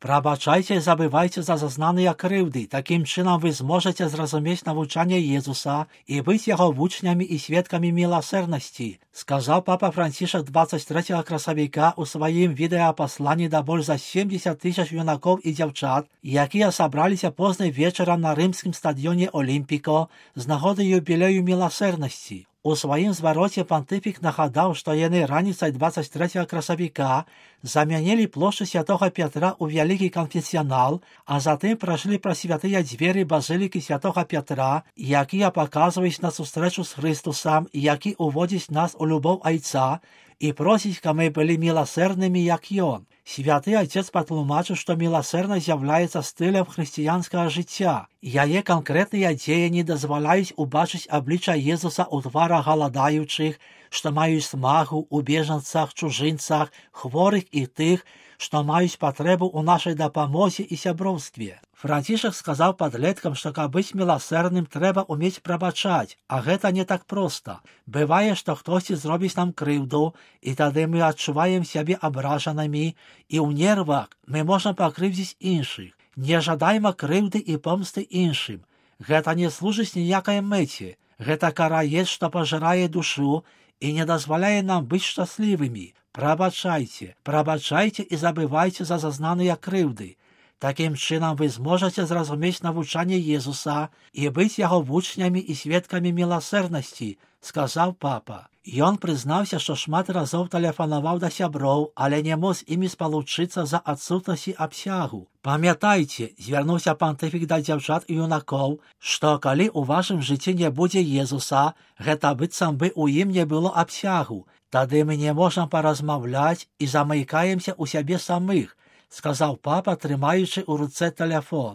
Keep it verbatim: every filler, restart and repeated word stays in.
Прабачайце і забывайце за зазнаныя крыўды. Такім чынам вы зможаце зразумець навучанне Езуса і быць яго вучнямі і сведкамі міласэрнасці, сказаў папа Францішак двадцать третьего красавіка ў сваім відэапасланні да больш за семьдесят тысяч юнакоў і дзяўчат, якія сабраліся познай вечарам на рымскім стадыёне Олімпіко з нагоды юбілею міласэрнасці. У сваім звароце пантыфік нагадаў, што яны раніцай двадцать третьего красавіка замянілі плошчу святога Пятра ў вялікі канфесіянал, а затым прайшлі праз святыя дзверы базылікі святога Пятра, якія паказваюць на сустрэчу з Хрыстусам і які уводзіць нас у любоў Айца і просіць, каб мы былі міласэрнымі, як Ён. Святы Айцец патлумачыў, што міласэрнасць з'яўляецца стылем хрысціянскага жыцця. Яе канкрэтныя дзеянні дазваляюць убачыць аблічча Езуса ў тварах галадаючых, што маюць смагу, у бежанцах, чужынцах, хворых і тых, што маюць патрэбу ў нашай дапамозе і сяброўстве. Францішак сказаў падлеткам, што каб быць міласэрным, трэба ўмець прабачаць, а гэта не так проста. Бывае, што хтосьці зробіць нам крыўду, і тады мы адчуваем сябе абражанымі, і ў нервах мы можам пакрыўдзіць іншых. Не жадайма крыўды і помсты іншым. Гэта не служыць ніякай мэце. Гэта караец, што пажырае душу і не дазваляе нам быць шчаслівымі. Прабачайце, прабачайце і забывайце за зазнаныя крыўды. Такім чынам вы зможаце зразумець навучанне Езуса і быць яго вучнямі і сведкамі міласэрнасці, сказаў папа. Ён прызнаўся, што шмат разоў тэлефанаваў да сяброў, але не мог з імі спалучыцца за адсутнасці абсягу. Памятайце, звярнуўся пантыфік да дзяўчат і юнакоў, што калі ў вашым жыцці не будзе Езуса, гэта быццам бы ў ім не было абсягу. Тады мы не можам паразмаўляць і замыкаемся ў сябе самых, сказаў папа, трымаючы ў руцэ тэлефон.